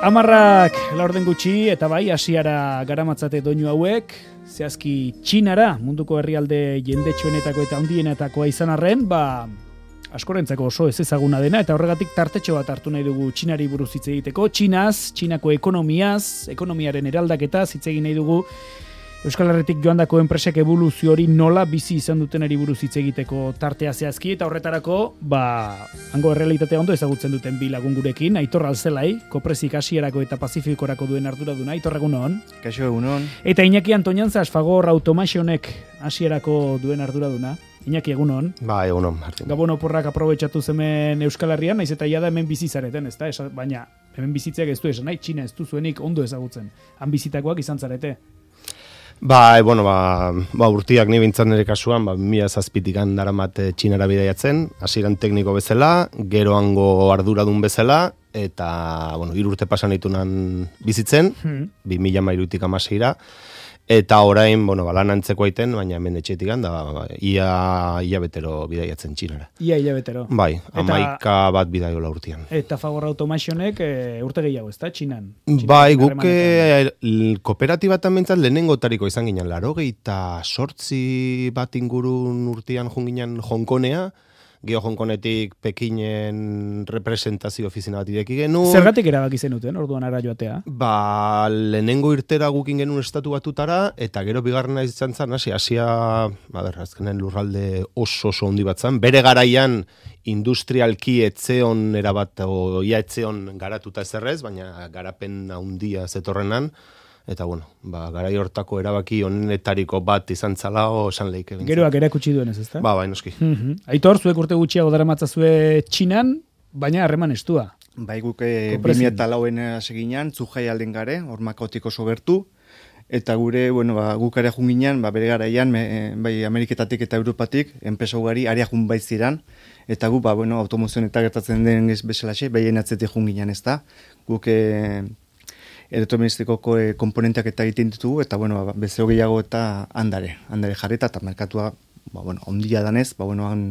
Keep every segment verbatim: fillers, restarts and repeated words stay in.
Amarrak laurden gutxi eta bai Asiara garamatzate doinu hauek, zehazki Txinara, munduko herrialde jendetsuenetako eta handienetakoa izan arren, ba askorentzako oso ez ezaguna dena eta horregatik tartetxo bat hartu nahi dugu Txinari buruz hitz egiteko. Txinaz, Txinako ekonomiaz, ekonomiaren eraldaketaz hitz egin nahi dugu. Euskal Herritik joandako enpresak eboluzio hori nola bizi izan dutenari buruz hitz egiteko tartea zehazki eta horretarako, ba, hango errealitatea ondo ezagutzen duten bi lagun gurekin, Aitor Alzelai, Koprezik Asierako eta Pazifikorako duen arduraduna. Aitor, egunon. Kaixo, egunon. Eta Iñaki Antoñanzas, Fagor Automationek Asierako duen arduraduna. Iñaki, egunon. Ba, egunon, Martin. Gabon oporrak aprobetxatu hemen Euskal Herrian, naiz eta jada hemen bizizareten, ezta? Baina hemen bizitzeak ez du esan, nahi, Txina ez du zuenik ondo ezagutzen. Han bizitakoak izan zarete. Ba, e, bueno, ba, ba urtiak ni bintzat nire kasuan, ba, mila zazpitikan daramat Txinara bidaiatzen, hasieran tekniko bezala, gero hango arduradun bezala, eta, bueno, hiru urte pasan ditunan bizitzen, hmm. bi mila mairutik amaseira, eta orain, bueno, ba, lan antzeko aiten, baina hemen etxetik da, ba, ia, ia betero bidaiatzen Txinara. Ia, ia betero. Bai, amaika bat bidaiola urtean. Eta Fagor Automationek e, urte gehiago, ez da, Txinan? Bai, guk e, kooperatibatan bentsat lehenengotariko izan ginen, laro eta sortzi bat ingurun urtean junginen Hongkonea, Geo Hongkonetik Pekinen representazio ofizina bat ireki genuen. Zergatik erabaki zenuten, orduan ara joatea? Ba, lehenengo irtera gukin genuen estatu batutara, eta gero bigarrena izan zen, hasi, Asia, a ber, azkenen lurralde oso oso handi bat zen. Bere garaian industrialki etzeon erabat, o ia etzeon garatuta ezerrez, baina garapen handia zetorrenan. Eta, bueno, ba, garai hortako erabaki honetariko bat izan zala o esan lehik egin. Geroak erakutsi duenez, ezta? Ba, bai, noski. Mm-hmm. Aitor, zuek urte gutxiago daramatzazue Txinan, baina harreman estua. Bai, guk bi mila eta lauen seginan, Zhuhai alden gare, hormakaotik oso gertu, eta gure, bueno, ba, guk ere junginan, ba, bere garaian, me, bai, Ameriketatik eta Europatik, enpresa ugari, aria jun baitziran, eta gu, ba, bueno, automozion eta gertatzen den bezalaxe, behien atzetik junginan, ez da? Guk, e, elektroministikoko e, komponenteak eta egiten ditugu, eta, bueno, ba, bezeo gehiago eta handare, handare jarreta, eta merkatua, ba, bueno, ondia danez, ba, bueno, han,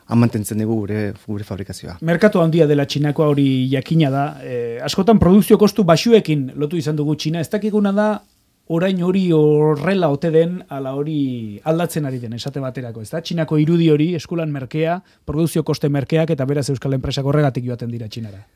han mantentzen dugu gure, gure fabrikazioa. Merkatu handia dela Txinakoa hori jakina da, e, askotan produkzio kostu basuekin lotu izan dugu Txina, ez dakiguna da, orain hori horrela ote den, ala hori aldatzen ari den, esate baterako, ez da? Txinako irudi hori, eskulan merkea, produkzio koste merkeak, eta beraz Euskal Enpresak horregatik joaten dira Txinara.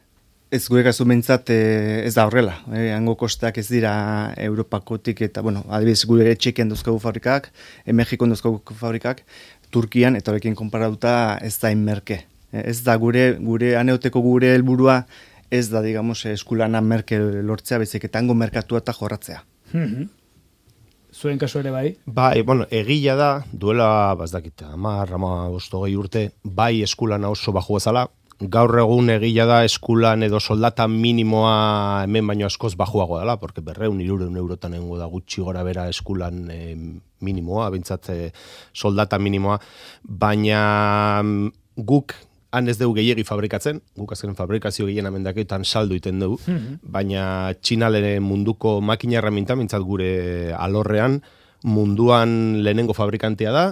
Ez gure kasu mentzat e, ez da horrela. E, hango kosteak ez dira Europakotik eta, bueno, adibidez gure Txekian duzkagu fabrikak, e, Mexikon duzkagu fabrikak, Turkian eta horrekin konparatuta ez da inmerke. E, ez da gure, gure aneoteko gure helburua ez da, digamos, eskulana merke lortzea, bezik eta hango merkatua eta jorratzea. Mm-hmm. Zuen kasu ere bai? Bai, bueno, egila da, duela, bazdakita, amar, ama, ostogei urte, bai eskulana oso baju ezala, gaur egun egila da eskulan edo soldata minimoa hemen baino askoz bajuago dela, porque berreun irureun eurotan engo da gutxi gora bera eskulan e, minimoa, bintzat e, soldata minimoa, baina guk han ez dugu gehiegi fabrikatzen, guk azken fabrikazio gehien amendaketan saldu iten dugu, mm-hmm. baina Txinalere munduko makina herramienta, bintzat gure alorrean, munduan lehenengo fabrikantea da,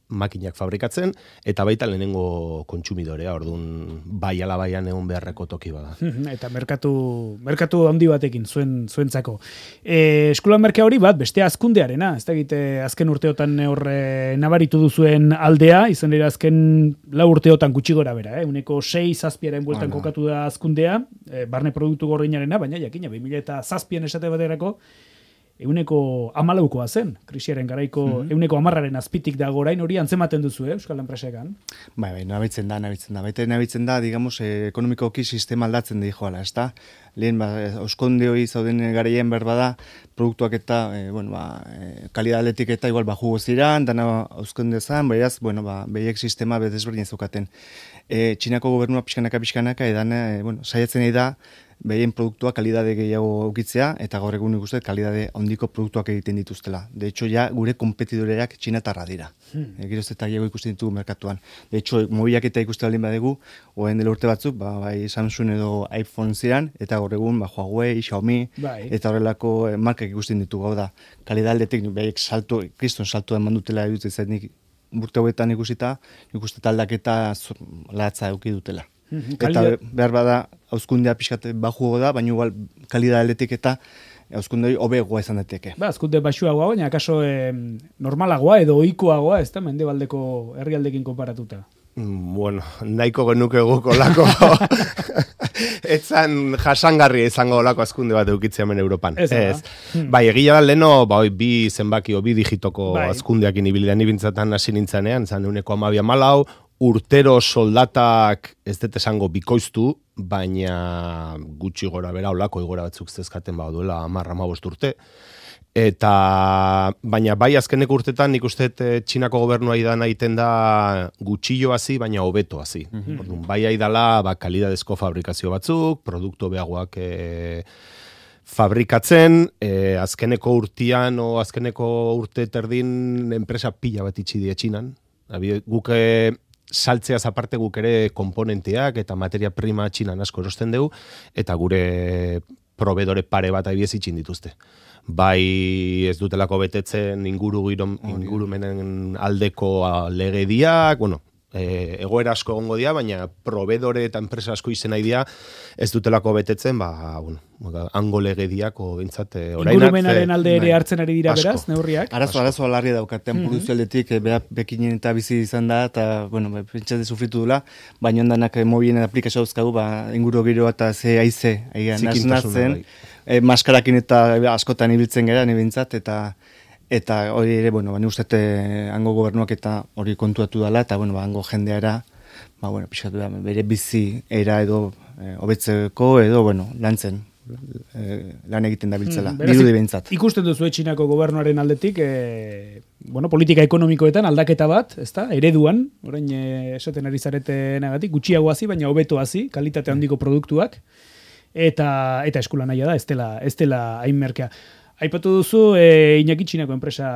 makinak fabrikatzen, eta baita lehenengo kontsumidorea, orduan bai ala baian egon beharreko toki bada. Eta merkatu, merkatu handi batekin, zuen, zuentzako. E, eskulan merkea hori bat, beste azkundearena, ez da egite azken urteotan horre nabaritu duzuen aldea, izan dira azken lau urteotan gutxi gora bera, eh? Uneko sei zazpiaren bueltan ah, kokatu da azkundea, e, barne produktu gordinarena, baina jakina, bi mila eta zazpian esate baterako, euneko amalaukoa zen, krisiaren garaiko mm-hmm. euneko amarraren azpitik da gorain hori antzematen duzu, eh, Euskal Enpresekan? Bai, bai, nabitzen da, nabitzen da. Baita nabitzen da, digamos, eh, ekonomikoki sistema aldatzen da joala, ez da? Lehen, ba, oskonde hori zauden garaien berba da, produktuak eta, eh, bueno, ba, eh, kalidaletik eta igual baju goziran, dana oskonde zan, baiaz, bueno, ba, behiek sistema bedezberdin zeukaten. E, Txinako gobernua pixkanaka, pixkanaka, edan, e, bueno, saiatzen nahi da, behien produktua kalidade gehiago ukitzea, eta gaur egun ikusten kalidade handiko produktuak egiten dituztela. De hecho, ja, gure kompetidoreak txinatarra dira. Hmm. E, Geroz eta gehiago ikusten ditugu merkatuan. De hecho, mobilak eta ikusten aldin badegu, oen dela urte batzuk, ba, bai Samsung edo iPhone ziren, eta gaur egun, ba, Huawei, Xiaomi, bai. Eta horrelako markak ikusten ditugu, hau da, kalidaldetik, behiek salto, kriston salto eman dutela edutzen zainik, urte hauetan ikusita, ikuste taldaketa latza eduki dutela. Eta behar bada, hauzkundea pixkat bajuago da, baina igual kalidaletik eta hauzkunde hori hobeagoa izan daiteke. Ba, hauzkunde baxuagoa, baina akaso eh, normalagoa edo ohikoagoa, ez da, mendebaldeko herrialdekin konparatuta. Bueno, nahiko genuke guk olako etzan jasangarria izango olako azkunde bat eukitzea hemen Europan. Ez, ez. Hmm. Bai, egia da leno, ba, bi zenbaki, bi digitoko bai. Azkundeak inibilidean ibintzatan hasi nintzanean, zan euneko amabia malau, urtero soldatak ez dut esango bikoiztu, baina gutxi gora bera olako igora batzuk zezkaten ba duela hamar hamabost urte. Eta, baina bai azkeneko urtetan nik uste Txinako gobernua idan egiten da gutxillo hazi, baina hobeto hazi. Mm-hmm. Orduan, bai aidala ba, kalidadezko fabrikazio batzuk, produktu beagoak e, fabrikatzen, e, azkeneko urtean o azkeneko urte terdin enpresa pila bat itxi die Txinan. Guk saltzeaz aparte guk ere komponenteak eta materia prima Txinan asko erosten dugu, eta gure proveedore pare bat abiez itxin dituzte. Bai ez dutelako betetzen inguru ingurumenen aldeko legediak, bueno, e, egoera asko egongo dira, baina proveedore eta enpresa asko izen nahi dira ez dutelako betetzen, ba, bueno, hango legediak o bintzat orain ingurumenaren alde ere hartzen ari dira beraz, neurriak. Arazo, arazo alarri daukaten mm -hmm. produzio aldetik, beha bekinen eta bizi izan da, eta, bueno, pentsate sufritu dula, baina ondanak mobilen aplikazio dauzkagu, ba, inguru giroa eta ze aize, nazen, E, maskarakin eta askotan ibiltzen gara, nibintzat, eta eta hori ere, bueno, bani ustete hango gobernuak eta hori kontuatu dela, eta, bueno, ba, hango jendeara, ba, bueno, pixkatu da, bere bizi era edo e, hobetzeko edo, bueno, lantzen, e, lan egiten da biltzela, mm, dirudi bintzat. Ikusten duzu Txinako gobernuaren aldetik, e, bueno, politika ekonomikoetan aldaketa bat, ezta, ereduan, orain e, esaten ari zaretenagatik, gutxiago hazi, baina hobeto hazi, kalitate handiko produktuak, eta eta eskula naia da, ez dela, ez dela hain merkea. Aipatu duzu, e, Iñaki Txinako enpresa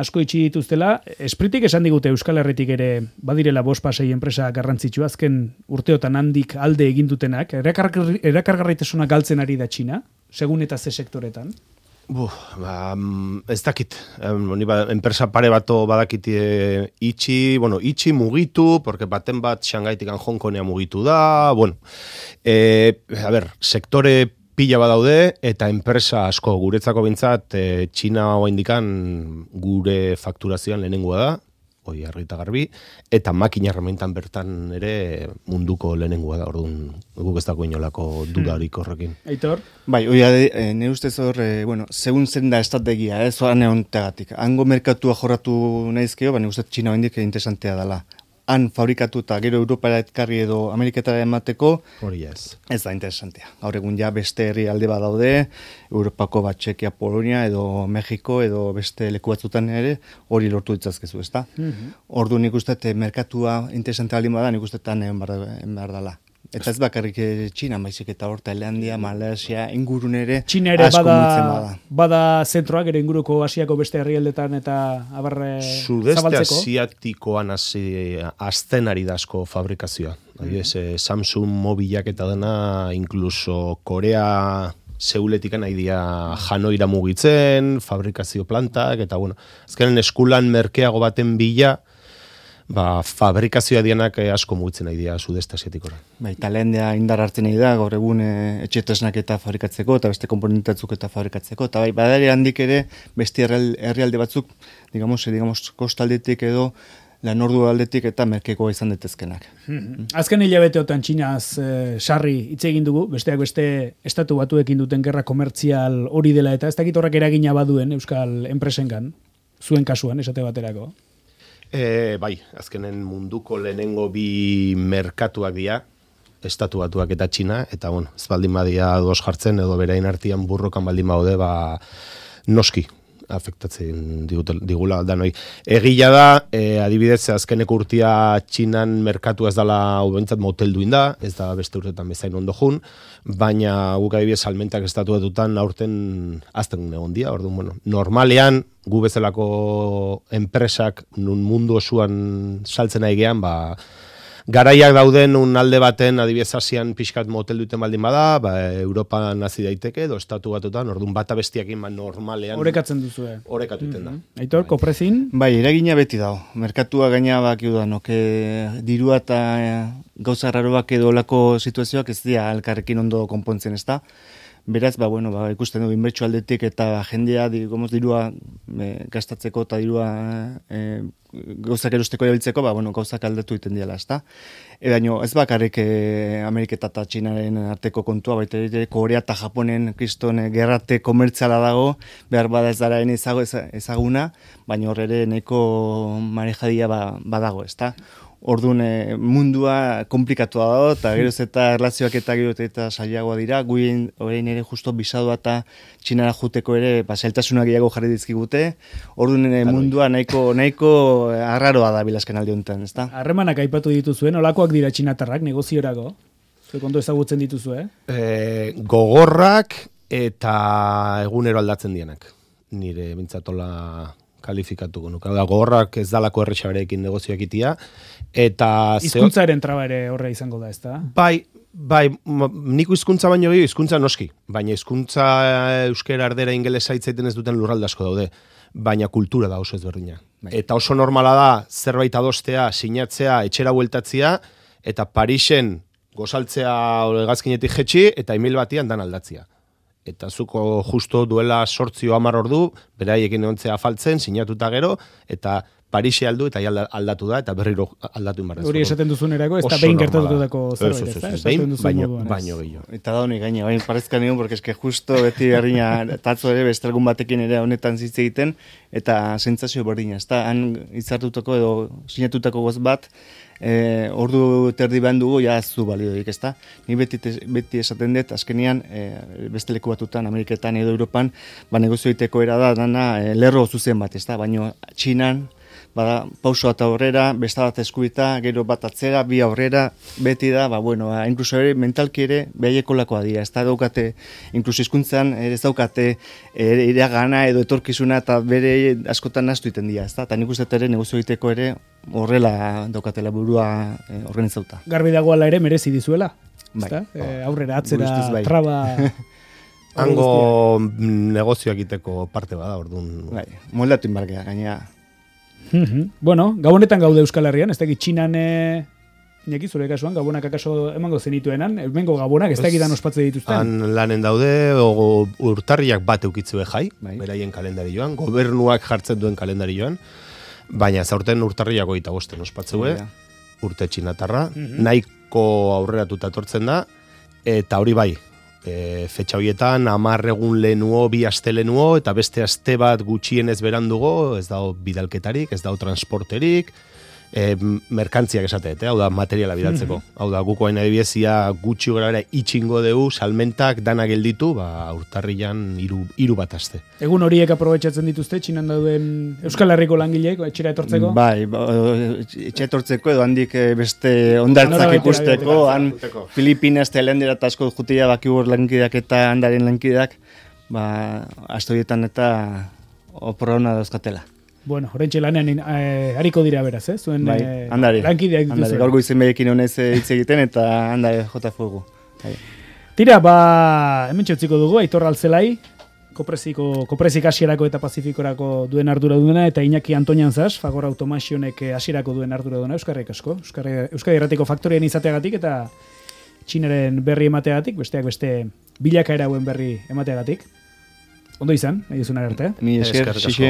asko itxi dituztela, Espritik esan digute Euskal Herritik ere badirela bost pasei enpresa garrantzitsua, azken urteotan handik alde egin dutenak, erakargarritasuna galtzen ari da Txina, segun eta ze sektoretan? Buf, ba, ez dakit, um, ba, enpresa pare bato badakit e, itxi, bueno, itxi mugitu, porque baten bat Xangaitik Hong Kongia mugitu da, bueno, e, a ber, sektore pila badaude, eta enpresa asko guretzako bintzat, e, Txina hoa indikan gure fakturazioan lehenengoa da, hoi argita garbi, eta makina herramientan bertan ere munduko lehenengoa da, orduan guk ez dago inolako dudarik horrekin. Aitor? Bai, hoi e, nire ustez hor, e, bueno, segun zen da estrategia, ez, oan egon tegatik. Hango merkatua jorratu nahizkeo, baina ustez Txina hoendik interesantea dela. Han fabrikatu eta gero Europara etkarri edo Ameriketara emateko, hori ez. Ez da interesantea. Gaur egun ja beste herri alde badaude, Europako bat Txekia, Polonia edo Mexiko edo beste leku batzutan ere hori lortu ditzazkezu, ezta? Mm-hmm. Ordu nik uste merkatua interesantea baldin bada, nik uste tan egin behar dela. Eta ez bakarrik Txina, baizik eta hor Tailandia, Malaysia, ingurun ere Txina ere bada, bada. bada zentroak ere inguruko Asiako beste herrialdetan eta abarre Sudeste zabaltzeko. Sudeste asiatikoan azten ari da asko fabrikazioa. Mm-hmm. Samsung mobilak eta dena, incluso Korea Seuletikan nahi dia Hanoira mugitzen, fabrikazio plantak, eta bueno, azkenen eskulan merkeago baten bila, ba, fabrikazioa dianak asko mugitzen nahi dira Sudeste asiatikora. Bai, Tailandia indar hartzen nahi da, gaur egun e, etxetresnak eta fabrikatzeko, eta beste komponentatzuk eta fabrikatzeko, eta bai, badari handik ere, beste herrialde batzuk, digamos, digamos, kostaldetik edo, lan ordu aldetik eta merkeko izan detezkenak. Hmm. Azken hilabeteotan Txinaz e, sarri hitz egin dugu, besteak beste estatu batuekin duten gerra komertzial hori dela, eta ez dakit horrek eragina baduen Euskal enpresengan, zuen kasuan, esate baterako. E, bai, azkenen munduko lehenengo bi merkatuak dira, estatu batuak eta Txina, eta bueno, ez baldin badia dos jartzen, edo berain artian burrokan baldin baude, ba, noski, afektatzen digula danoi. Egia da, e, adibidez, azkeneko urtia Txinan merkatu ez dala ubentzat motelduin da, ez da beste urtetan bezain ondo jun, baina guk adibidez salmentak estatu batutan aurten azten egon dia, orduan, bueno, normalean, gu bezalako enpresak nun mundu osuan saltzen nahi gean, ba, garaiak dauden un alde baten, adibidez Asian pixkat motel duten baldin bada, ba, Europa nazi daiteke, edo estatu batutan, orduan bata bestiakin ba, normalean. Orekatzen duzue. Orekatuten da. Mm-hmm. Aitor, koprezin? Bai, eragina beti dago. Merkatua gaina bakiu da, no? Que dirua eta gauza raroak edo olako situazioak ez dira elkarrekin ondo konpontzen, ez da? Beraz, ba, bueno, ba, ikusten du inbertsu aldetik eta jendea, digamos, dirua e, gastatzeko eta dirua e, gauzak erosteko erabiltzeko, ba, bueno, gauzak aldatu iten diala, ez da? E, baino, ez bakarrik e, Ameriketa eta Txinaren arteko kontua, baita ere Korea eta Japonen kriston e, gerrate komertziala dago, behar bada ez dara ezago, ezaguna, baina horre nahiko marejadia ba, badago, ez da? Orduan e, mundua komplikatua dago, eta geroz eta erlazioak eta geroz eta saiagoa dira, guien orain ere justo bisadua eta Txinara juteko ere ba, zailtasunak gehiago jarri dizkigute, orduan e, mundua nahiko, nahiko arraroa da bilazken alde honetan, ezta? Harremanak aipatu dituzuen, olakoak dira txinatarrak, negoziorako? Zuek ondo ezagutzen dituzu, eh? E, gogorrak eta egunero aldatzen dienak, nire bintzatola kalifikatuko nuke. Da, gogorrak ez dalako errexaberekin negozioak itia, eta... Hizkuntzaren traba ere horre izango da, ez da? Bai, bai, niko hizkuntza baino gehiago, hizkuntza noski, baina hizkuntza euskera ardera ingelesa hitzaiten ez duten lurralde asko daude, baina kultura da oso ezberdina. Bai. Eta oso normala da, zerbait adostea, sinatzea, etxera bueltatzea, eta Parisen gozaltzea hegazkinetik jetxi, eta email batian dan aldatzia. Eta zuko justo duela sortzio hamar ordu, beraiekin egontzea afaltzen, sinatuta gero, eta Parise aldu eta aldatu da, eta berriro aldatu inbarrez. Hori esaten duzun erako, ez da behin gertatutako zerbait, ez da? Behin, baino, baino gehiago. Eta da honi gaina, baina parezka nion, porque eske justo beti herrina tatzo ere bestelgun batekin ere honetan zitze egiten, eta sentsazio berdina, ez da? Han hitzartutako edo sinatutako goz bat, E, ordu terdi behan dugu, ja ez du balioik, ez da? Ni beti, beti esaten dut, azkenean, e, beste leku batutan, Ameriketan edo Europan, ba, negozio egiteko era da, dana, e, lerro zuzen bat, ez da? Baina Txinan, bada, pauso bat aurrera, beste bat eskubita, gero bat atzera, bi aurrera, beti da, ba, bueno, ba, inkluso ere, mentalki ere, behaieko lakoa dira, ez da daukate, inkluso hizkuntzan ez daukate, ere, iragana edo etorkizuna, eta bere askotan nastu iten dira, ez da? Eta nik uste ere, negozio egiteko ere, horrela daukatela burua e, organizauta. Garbi dagoela ere merezi dizuela, bai. E, aurrera, atzera, bai. traba... Hango negozioak egiteko parte bada, orduan. Bai, moldatu inbarkea, gaina... Bueno, gabonetan gaude Euskal Herrian, ez dakit Txinan, e, inaki zure kasuan, gabonak akaso emango zenituenan, emengo gabonak, ez dakitan ospatze dituzten. Han lanen daude, o, urtarriak bat eukitzue jai, bai. Beraien kalendari joan, gobernuak jartzen duen kalendari joan, baina zaurten urtarriak goita bosten ospatzue, ja. Urte txinatarra, mm-hmm. nahiko aurreratuta etortzen da, eta hori bai, e, fetxa horietan, hamar egun lehenuo, bi aste lehenuo, eta beste aste bat gutxienez berandugo, ez dago bidalketarik, ez dago transporterik, e, merkantziak esatet, eh? Hau da materiala bidaltzeko. Mm-hmm. Hau da, guko hain adibidezia gutxi gara ere itxingo deu, salmentak dana gelditu, ba, urtarrian iru, iru bat aste. Egun horiek aprobetxatzen dituzte, Txinan dauden Euskal Herriko langileek, etxera etortzeko? Bai, ba, etxera etortzeko edo handik beste ondartzak ikusteko, han Filipinas eta Helandera eta asko jutia bakibur lankideak eta handaren lankideak, ba, astoietan eta oporrauna dauzkatela. Bueno, horrentxe lanean eh, hariko dira beraz, eh? Zuen bai, eh, andari, lankideak dituzu. Andari, gaur goizen behekin honez hitz egiten eta handari jota fuego. Bai. Tira, ba, hemen txutziko dugu, Aitor Altzelai, kopreziko, koprezik hasierako eta pazifikorako duen ardura duena, eta Iñaki Antonian Zas, Fagor Automationek hasierako duen ardura duena, Euskarrik asko. Euskadi Erratiko faktorien izateagatik eta Txinaren berri emateagatik, besteak beste bilakaera hauen berri emateagatik. Ondo izan, nahi duzun arte. Mi esker, xixe.